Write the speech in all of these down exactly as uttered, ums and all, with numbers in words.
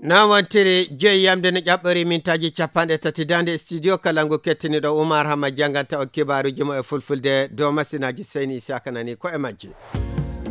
Noon wontiri, joyi yamde no ƴaɓɓori mintaaji capanɗe tati daande studio kala ngu kettiniɗo Umar Hamma jannganta o kibaaruuji mo e fulfulde dow masinaaji Seyni Isaka nani ko e majji.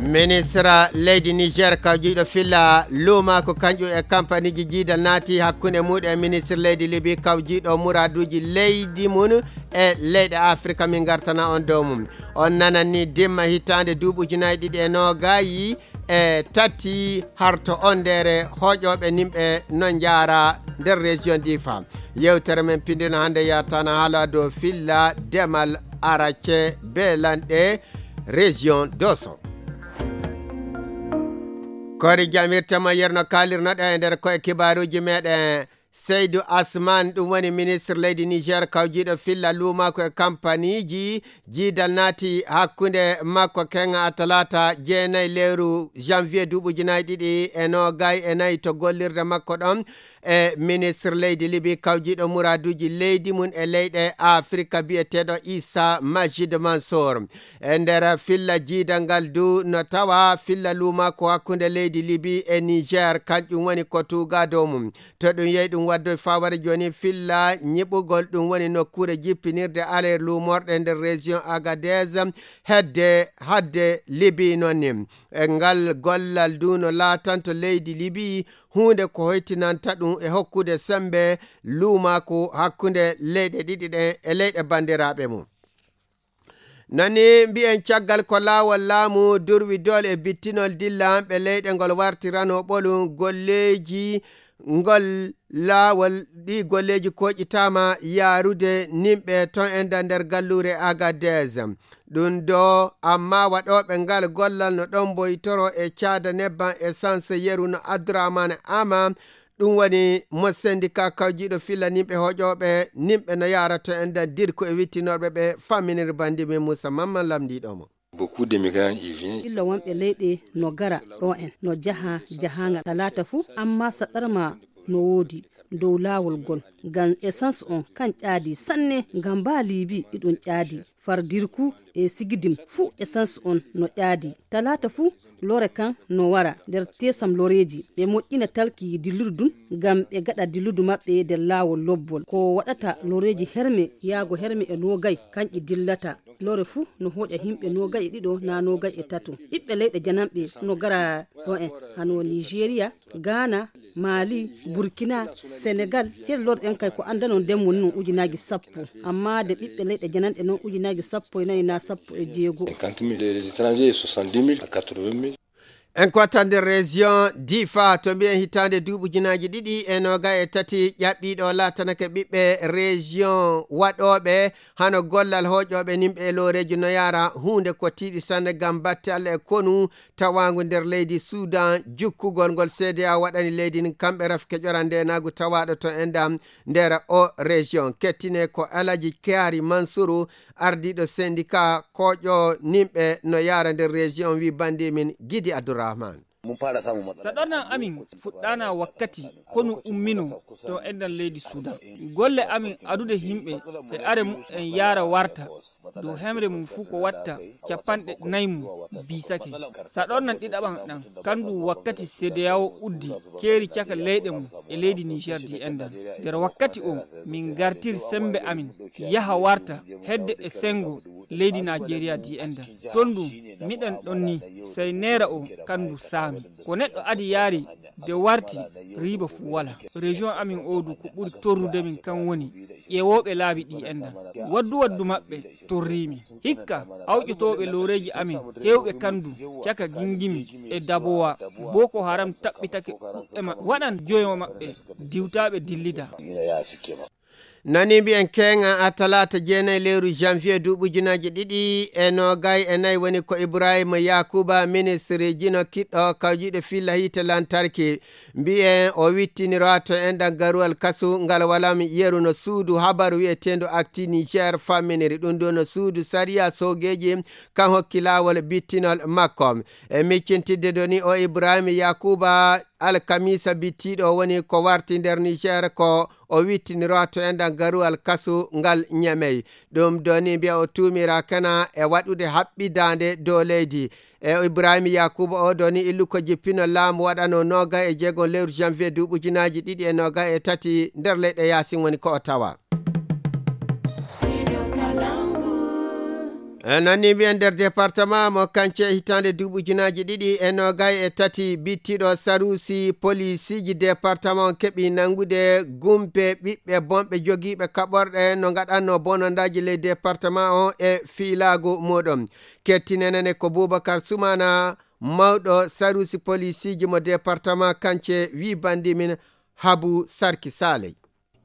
Ministre leydi Niger kawjiiɗo filla luuma ko kanƴum e kampaniiji jiidal naati hakkunde muuɗum e ministre leydi Libi kawjiiɗo muraaduuji leydi mum e leyɗe Afrika, min ngartana on dow mum. On nanan ni dimma hitaande duuɓi ujunaaji ɗiɗi e noogaayi e tati harto on ndeere hooƴooɓe nimɓe no njaara nder région Difa. Yewtere men pindino hannde yartana haala dow filla demal arace beelanɗe région Doso. Kori jamirte mo yerno kaalirnoɗen e nder koye kibaaruuji meɗen. Seydou Asman, ɗum woni ministre leydi Niger kawjiiɗo filla luumako e kampaniiji. Jiidal naati hakkunde makko kenga a talaata jeenayi lewru janvier duuɓi ujunaaji ɗiɗi e noogay e nayi to gollirde makko ɗon e ministre leydi Libi kawjiiɗo muraaduuji leydi mum e leyɗe Afrika biyeteeɗo Issa Majid Mansour. E nder filla jiidal ngal du no tawa filla luumako hakkunde leydi Libi e Niger, kanƴum woni ko tuuga dow mum. To ɗum yehi ɗum waddoy faware jooni filla nyiɓugol, ɗum woni nokkuure jippinirde aller luumorɗe nder région Agadez hedde hadde Libi noon ni. E ngal gollal du no laatanto leydi Libi huunde ko hoytinanta ɗum e hokkude sembe luumako hakkunde leyɗe ɗiɗi ɗen e leyɗe banndiraaɓe mum. Nani mbiyen caggal ko laawol laamu durwi doole e bittinol dillanɓe leyɗe ngol wartirano ɓolu golleeji ngol laawol ɗi golleeji koƴitaama yaarude nimɓe ton enda nder galluure Agadez. Ɗum ɗo amma waɗooɓe ngal gollal no ɗon mboytoro e caada nebban essence yeru no Abdourahmane Ama, ɗum woni mo syndicat kawjiiɗo filla nimɓe hoƴooɓe nimɓe no yaarato en dan dirko e wittinorɓe ɓe famminir bandi min Moussa Mamman lamndiiɗo mo. Beaucoup de migrants y viennent. Illa wonɓe leyɗe no gara ɗo en, no jaha jahaangal talaata fuu, amma saɗarma no woodi dow laawol gol. Ngam essence on kan ƴaadi sanne, ngam mbaa Liibi iɗum ƴaadi. Far Dirku e Sigidim fuu essence on no ƴaadi. Talaata fuu lore kan no wara nder tesam loreeji. Ɓe moƴƴina talki dillirdu ngam ɓe gaɗa dilludu maɓɓe nder laawol lobbol. Ko waɗata loreeji herme yaago herme e noogay kanƴi dillata. Lore fuu no hooƴa himɓe noogay e ɗiɗo naa noogay e tato. Ɓiɓɓe leyɗe jananɓe no gara ɗo en hano Nigeria, Ghana, Mali, Burkina, Senegal. Cel lor en kay ko anndanon nden woni non ujunaaji sappo. Amma de ɓiɓɓe leyɗe jananɗe non ujunaaji sappo e nayi naa sappo e jeego. Cinquante mille, les étrangers, soixante-dix mille à quatre-vingt mille. En ko watta nder région Difa to mbiyen hitaande duuɓi ujunaaji ɗiɗi e noogay e tati ƴaɓɓiiɗo laatanake ɓiɓɓe région waɗooɓe hano gollal hooƴooɓe nimɓe e looreeji no yaara huunde ko tiiɗi sanne ngam batte Allah e konu tawaangu nder leydi Sudan, jukkugol ngol C D A O waɗani leydi ndin kamɓe rafke ƴorande e naagu tawaaɗo to enɗam nder o région. Kettine ko Alaji Kyari Mansuru, ardiiɗo syndicat koƴo nimɓe no yaara nder région, wi bandi min Gidi Abdourahmane. Saɗornan amin fuɗɗaana wakkati konu ummino to enɗam leydi Sudan. Golle amin adude himɓe e are mu'en yaara warta dow hemre mum fuu ko watta capanɗe nay mum biisake. Saɗornan ɗiɗaɓan ɗan, kandu wakkati C D A O uddi keeri caka leyɗe mum e leydi Niger di enɗan. Nder wakkati o, min ngartiri sembe amin yaha warta hedde e sengo leydi Nigeria di enɗan. Ton ɗum, miɗen ɗon ni, sey neera o kandu saami. Ko neɗɗo adi yaari de warti riiba fuu wala. Région amin o du ko ɓuri torrude min kan woni ƴeewooɓe laabi ɗi enɗan. Waddu waddu maɓɓe torriimi. Hikka awƴotooɓe looreeji amin heewɓe kandu caka gingimi e dabowa. Boko Haram taɓɓitake ɗuɓɓe maɓɓe. Waɗan joyo maɓɓe diwtaaɓe dillida. Nani mbiyen keŋa a talaata jeenayi lewru janvier duuɓi ujunaaji ɗiɗi e noogay e nayi woni ko Ibrahima Yakuba, ministre jino kiɗɗo kawjiiɗo filla hiite lantarki. Mbiyen o wittiniraato enɗan garuwal kasu ngal walam yeru no suudu habaru wi'eteendu Actu Niger famminiri. Ɗum ɗo no suudu sariya soogeeji kan hokki laawol bittinol makko. E miccintidde doni o Ibrahima Yakuba alkamisa bittiiɗo woni ko warti nder Niger ko o wittiniraato enɗan garuwal kasu ngal Ñamey. Ɗum ɗo ni mbiya o tuumiraakana e waɗude haɓɓidaande dow leydi. E Ibrahima Yakuba o ɗo ni illu ko jippino laamu waɗano nooga e jeego lewru janvier duuɓi ujunaaji ɗiɗi e nooga e tati nder leyɗe yaasin woni ko o tawa. E noon ni mbiyen nder département mo Kance hitaande duuɓi ujunaaji ɗiɗi e nooga e tati bittiɗo saruusi poliisiiji département on keɓi nanngude gumpe ɓiɓɓe bonɓe jogiiɓe kaɓorɗe no ngaɗanno bonondaaji ley département on e fiilaagu muɗum. Kettinenene ko Boubacar Soumana, mawɗo saruusi poliisiiji mo département Kance wi bandi min Habu Sarki Saley.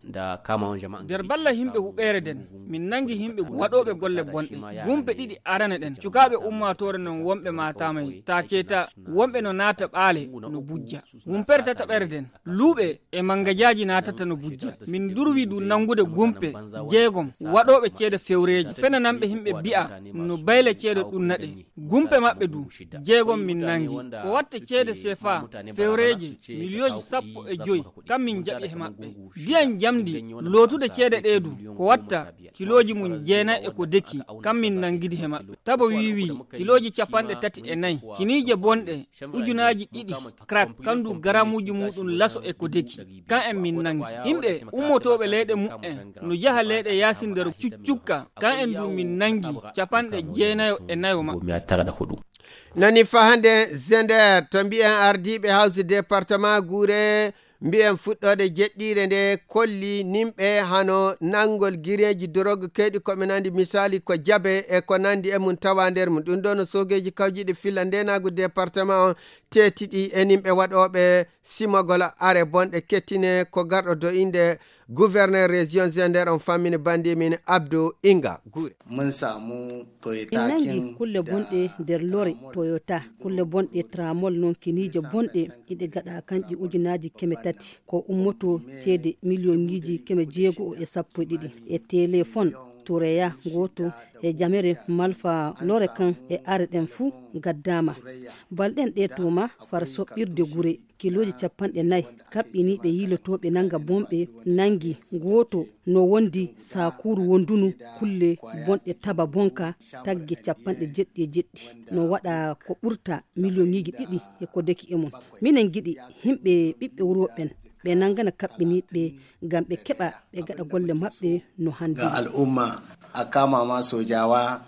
Nder balla yimɓe huɓeere nden, min nangi yimɓe waɗooɓe golle bonɗe. Gumpe ɗiɗi arane ɗen, cukaaɓe ummaatoore non wonɓe maataamay, ta keeta wonɓe no naata ɓaale no bujja. Gumpere tataɓere nden, luuɓe e mangajaaji naatata no bujja. Min durwi du nangude gumpe jeegom waɗooɓe ceede fewreeji, fenananɓe yimɓe bi'a no bayle ceede ɗum naɗe. Gumpe maɓɓe du, jeegom min nangi. Ko watta ceede sefa fewreeje miliyooji sappo e joy, kam min jaɓi he maɓɓe. Ndiyan jamndi lootude ceede ɗee du, ko watta kilooji mum jeenay e ko deki, kam min nangidi he maɓɓe. Tabo wiiwi kilooji capanɗe tati e nayi, kiniije bonɗe ujunaaji ɗiɗi, crack, kandu garamuuji muɗum laso e ko deki. Kan en min nangi. Yimɓe ummotooɓe leyɗe muɓɓen no jaha leyɗe yaasi nder cuccukka, kan en du min nangi capanɗe jeenayo e nayo maɓɓe. Nani fa hannde Zender to mbiyen ardiiɓe hawsi département Guure, mbiyen fuɗɗoode jeɗɗiire nde kolli nimɓe hano nanngol gireeji dorog keyɗi ko ɓe nandi misaali ko jabe e ko nandi e mum tawa nder mum. Ɗum ɗo no soogeeji kawjiɗi filla ndenaagu département on teetiɗi e nimɓe waɗooɓe simogol are bonɗe kettine ko garɗo do innde gouverneur région Zender on fammini bandi min Abdou Inga Guure. Mun samu Toyota. Min nangi kulle bonɗe nder lore Toyota, kulle bonɗe tramol non kiniije bonɗe iɗe gaɗa kanƴe ujunaaji keme tati ko ummoto ceede miliyonŋiiji keme jeego e sappo e ɗiɗi e téléphone Tureya gooto e jamere malfa lore kan e are ɗen fuu gaddaama. Balɗen ɗe tuma far soɓɓirde gure kilooji capanɗe nayi kaɓɓiniiɓe yiilotooɓe nanga bonɓe nangi gooto no wondi sakuuru wondunu kulle bonɗe taba bonka tagge capanɗe jeɗɗi e jeɗɗi no waɗa ko ɓurta miliyonŋiiji ɗiɗi e ko deki e mum. Minen ngiɗi yimɓe ɓiɓɓe wuro ɓen ɓe nangana kaɓɓiniiɓe ngam ɓe keɓa ɓe gaɗa golle maɓɓe no handi. Ga al'umma a kama ma sojawa.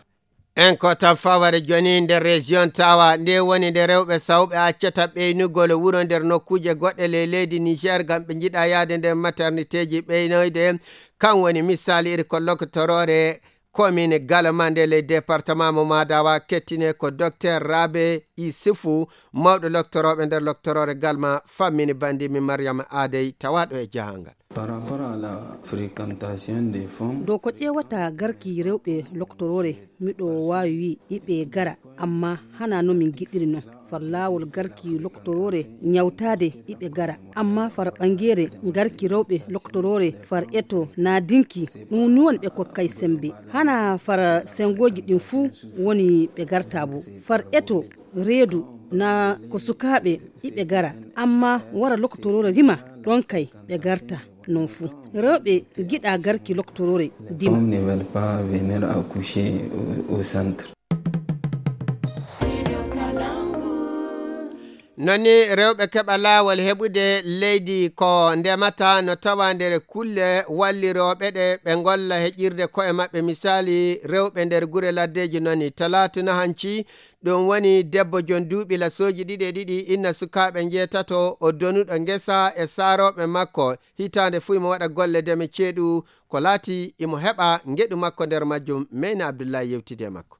En ko tan faware joni nder région tawa nde woni nde rewɓe sawɓe accata ɓeynugol wuro nder nokkuuje goɗɗe ley leydi Niger ngam ɓe njiɗa yaade nder maternité ji ɓeynoyde. Kan woni misali iri ko loktorore commune Galma nde ley département mo Madawa kettine ko docteur Rabe Isufu, mawɗo loktorooɓe nder loktorore Galma fammini bandi mi Mariama Adey tawaɗo e jahangal. Par rapport à la fréquentation des femmes. Dow ko ƴeewata garki rewɓe loktorore, miɗo waawi wi iɓe gara, amma hana no min giɗiri non. Far laawol garki loktorore ñawtaade iɓe gara, amma far ɓangeere garki rewɓe loktorore far eto naadinki, ɗum ni woni ɓe kokkay sembe. Hana far sengoji ɗin fuu woni ɓe garta bo. Far eto reedu na ko sukaaɓe iɓe gara, amma wara loktorore rima ɗon kay ɓe garta non fuu. Rewɓe giɗa garki loktorore dima. Femmes ne veulent pas venir accoucher au, au centre. Noni rewɓe keɓa laawol heɓude leydi ko ndemata no tawa nder kulle wallirooɓe ɗe ɓe ngolla heƴirde ko'e maɓɓe. Misaali, rewɓe nder gure laddeeji noni. Talaatu na hanci, ɗum woni debbo jon duuɓi lasooji ɗiɗi e ɗiɗi, inna sukaaɓe njeetato, o donuɗo ngesa e saarooɓe makko. Hitaande fuu imo waɗa golle deme ceeɗu, ko laati imo heɓa ngeɗu makko nder majjum. Meyna Abdullahi yewtidi e makko.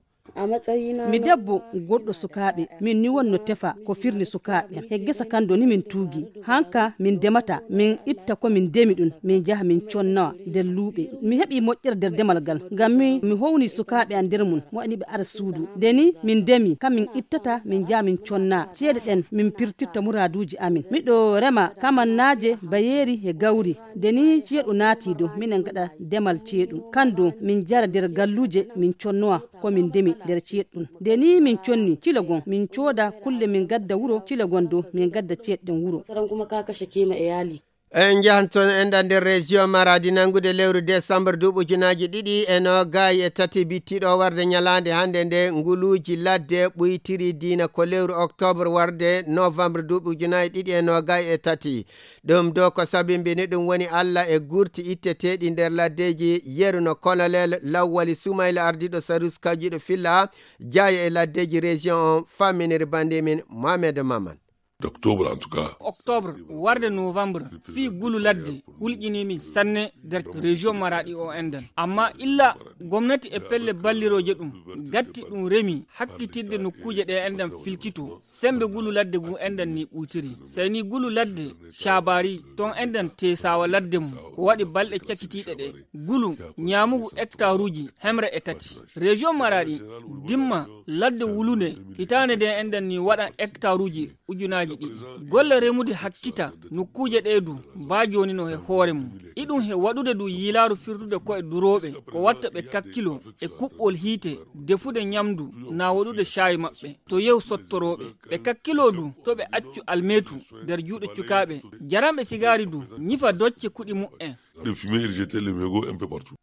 Mi debbo goɗɗo sukaaɓe, min ni wonno tefa ko firni sukaaɓe. He gesa kan do ni min tuugi. Hanka min demata, min itta ko min demi ɗum, min jaha min connawa nder luuɓe. Mi heɓi moƴƴere nder demal gal, ngam mi, mi howni sukaaɓe an nder mum, mo ani ɓe ara suudu. Nde ni min demi, kam min ittata, min jaha min conna. Ceede ɗen min pirtirta muraaduuji amin. Miɗo rema kamannaaje, bayeeri e gawri. Nde ni ceeɗu naati do, minen gaɗa demal ceeɗu. Kan do min jara nder galluuje, min connowa ko min ndemi nder ceeɗu ɗum. Nde ni min conni cilo gon, min cooda kulle min gadda wuro, cilo gon do min gadda ceeɗu ɗen wuro. Saran kuma ka kashe kima e yali. En njahan toon, en ɗan nder région Maradi, nanngude lewru décembre duuɓi ujunaaji ɗiɗi e noogay e tati, bittiiɗo warde ñalaande hannde nde, nguluuji ladde ɓuytiri diina ko lewru octobre warde novembre duuɓi ujunaaji ɗiɗi e noogay e tati. Ɗum ɗo ko sabimbini ɗum woni Alla e gurti itteteeɗi nder laddeeji, yeru no Colonel Lawwali Sumayla, ardiiɗo sarus kawjiiɗo filla jaayo e laddeeji région on, famminiri banndi min Mohamed Maman. Octobre, en tout cas. Octobre warde novembre, fii gulu ladde hulƴinii min sanne nder région Maradi o enɗan. Amma illa gomnati e pelle ballirooje ɗum gatti ɗum remi hakkitirde nokkuuje ɗe enɗan filkito, sembe gulu ladde ngu enɗan ni ɓuytiri. Sey ni gulu ladde Caabari ton enɗan teesaawa ladde mum, ko waɗi balɗe cakitiiɗe ɗe. Gulu ñaamugu hectaruuji hemre e tati. Région Maradi dimma ladde wulunde, hitaande nde enɗan ni waɗa hectaruuji ujunaaji ɗiɗi. Golle remude hakkita nokkuuje ɗe du baa jooni no he hoore mum. Iɗum he waɗude du yiilaaru firtude ko'e durooɓe, ko watta ɓe kakkilo e kuɓɓol hiite, defude ñamdu, na waɗude caayi maɓɓe to yew sottorooɓe. Ɓe kakkilo du to ɓe accu almeetu nder juuɗe cukaaɓe, jaranɓe sigaari du ñifa docce kuɗi mu'en. De fumer et jeter le mégot un peu partout.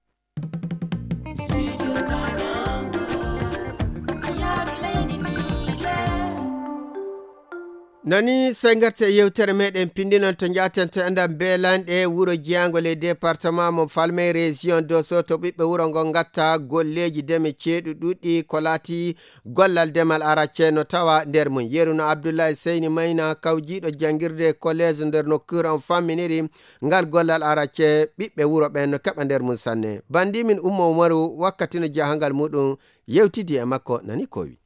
Nani sey ngarten e yewtere meɗen pinndinol to njaaten to enɗan beelanɗe wuro jeyaango ley département mo Falmey, région Dosso, to ɓiɓɓe wuro ngo ngatta golleeji deme ceeɗu ɗuɗɗi ko laati gollal demal aracce no tawa nder mum. Yeru no Abdullahi Seyni Mayna, kawjiiɗo janngirde collège nder nokkuure on, famminiri ngal gollal aracce, ɓiɓɓe wuro ɓen no keɓa nder mum sanne. Banndi min Umma Umaru wakkati no jahangal muɗum yewtidi e makko, nani ko wi.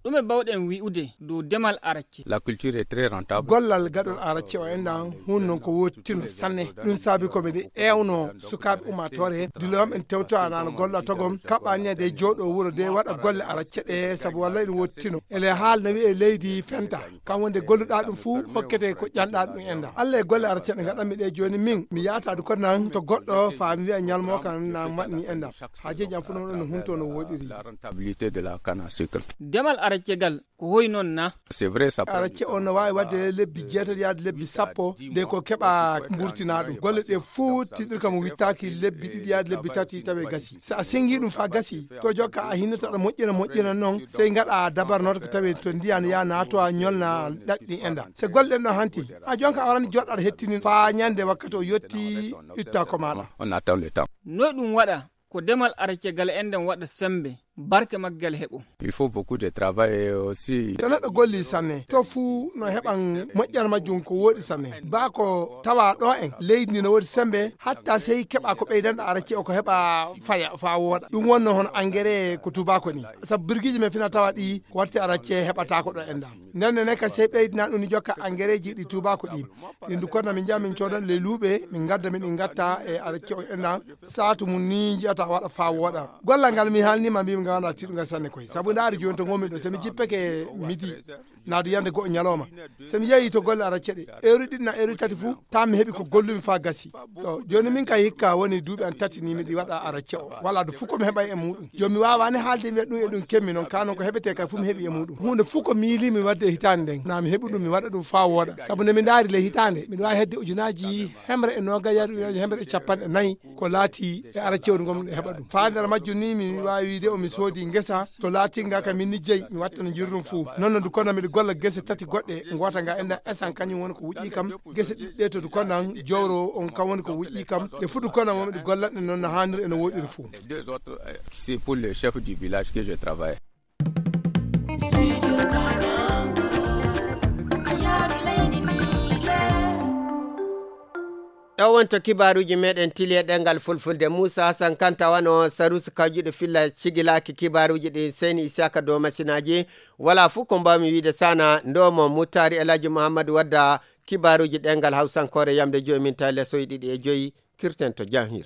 Ɗume bawɗen wi'ude dow demal aracce? La culture est très rentable. Gollal gaɗol aracce o enɗan hun non ko wottino sanne. Ɗum saabi ko miɗe ewno sukaaɓe ummaatoore dilo am en tewto anano golla togom kaɓɓani de jooɗo wuro de waɗa golle aracce ɗe sabu wallay ɗum wottino. Ele haal no wi'e leydi fenta. Kam wonde golluɗa ɗum fuu hokkete ko ƴanɗa ɗum enɗan. Allah e golle aracce ɗe gaɗanmi ɗe jooni min mi yaataade ko nan to goɗɗo faa mi wi'a ñalmo kan na maɗni enɗan. Haajeeji am fuu noon no hunto no woɗiri. La rentabilité de la canne à sucre. Demal aracce gal ko hoy noon na? C'est vrai, ça peut. Aracce on no waawi waɗde lebbi jeetati yaade lebbi sappo de ko keɓa mburtina ɗum. Golle ɗe fuu tiɗirka mo wittaaki lebbi ɗiɗi yaade lebbi tati tawe gasi. So a sengi ɗum faa gasi, to jokka a hinnata aɗa moƴƴina moƴƴina noon, sey ngaɗa dabar noon ko tawi to ndiyan ya naato a ñolna ɗaɗɗi enɗan. So golle ɗen ɗon hanti, a jonka a warani joɗɗa aɗa hettini faa ñande wakkati o yotti itta ko maɗa. On attend le temps. Noy ɗum waɗa? Ko demal aracce gal enɗan waɗa sembe, barke maggal heɓo. Il faut beaucoup de travail aussi. So neɗɗo golli sanne, to fuu no heɓan moƴƴere majjum ko wooɗi sanne. Baa ko tawa ɗo en, leydi ndi no woodi sembe, hatta sey keɓa ko ɓeydanɗo aracce o ko heɓa faya, faa wooɗa. Ɗum wonno hono engrais ko tubaako ni. Sabu birgiiji men fina tawa ɗi, ko waɗte aracce heɓata ko ɗo enɗan. Nden ne ka sey ɓeydina ɗum ni jokka engrais ji ɗi tubaako ɗi. Ɗin du konna min njaha min coodan ley luuɓe, min ngadda min ɗi ngatta e aracce o enɗan. Saatu mum ni njiyata waɗa faa wooɗa. Gollal ngal mi haalnima mbimi ngal wona tiɗungal sanne koy. Sabu ndaari jooni to ngonmi ɗo, so mi jippeke midi, naadu yande go'o ñalawma. So mi yehi to golle aracce ɗe, heure ɗiɗi na heure tati fuu, taa mi heɓi ko gollumi faa gasi. To, jooni min ka hikka woni duuɓi an tati ni miɗi waɗa aracce o. Wala du fuu ko mi heɓay e muɗum. Jooni mi waawani haalde mi ɗum e ɗum kemmi noon, kaa noon ko heɓete kay fuu mi heɓi e muɗum. Huunde fuu ko miilimi waɗde e hitaande nden, na mi heɓi ɗum mi waɗa ɗum faa wooɗa. Sabu nde mi ndaari ley hitaande, miɗo waawi hedde ujunaaji hemre e noogay yaade ujunaaji hemre e capanɗe nayi. Ko laati e ara cewɗu ngon e heɓa ɗum. Faandere majjum ni mi waawi wiide o mi soodi ngesa to laatinga ka min ni jeyi mi wattana jirrum fuu. Noon no du kono miɗo golla gese tati goɗɗe, ngoota nga enɗan esan kañum woni ko wuƴƴi kam, gese ɗiɗɗe to du konan jowro on kam woni ko wuƴƴi kam, ɗe fuu du konan woni ɗe gollatɗe noon no haaniri e no woɗiri fuu. Les deux autres, euh, c'est pour le chef du village que je travaille. Ɗo wonto kibaaruuji meɗen tili e ɗemngal fulfulde. Muusa Hasan Kanta wano saruusi kawjuɗo filla cigilaaki kibaaruuji ɗi. Seyni Isiyaka dow masinaaji. Wala fuu ko mbaawmi wiide sana ndomo Muttaari Elhaji Muhammadu Wadda kibaaruuji ɗemngal hawsankoore yamde joyi min tawi lesoyi ɗiɗi e joyi. Kirten to janhir.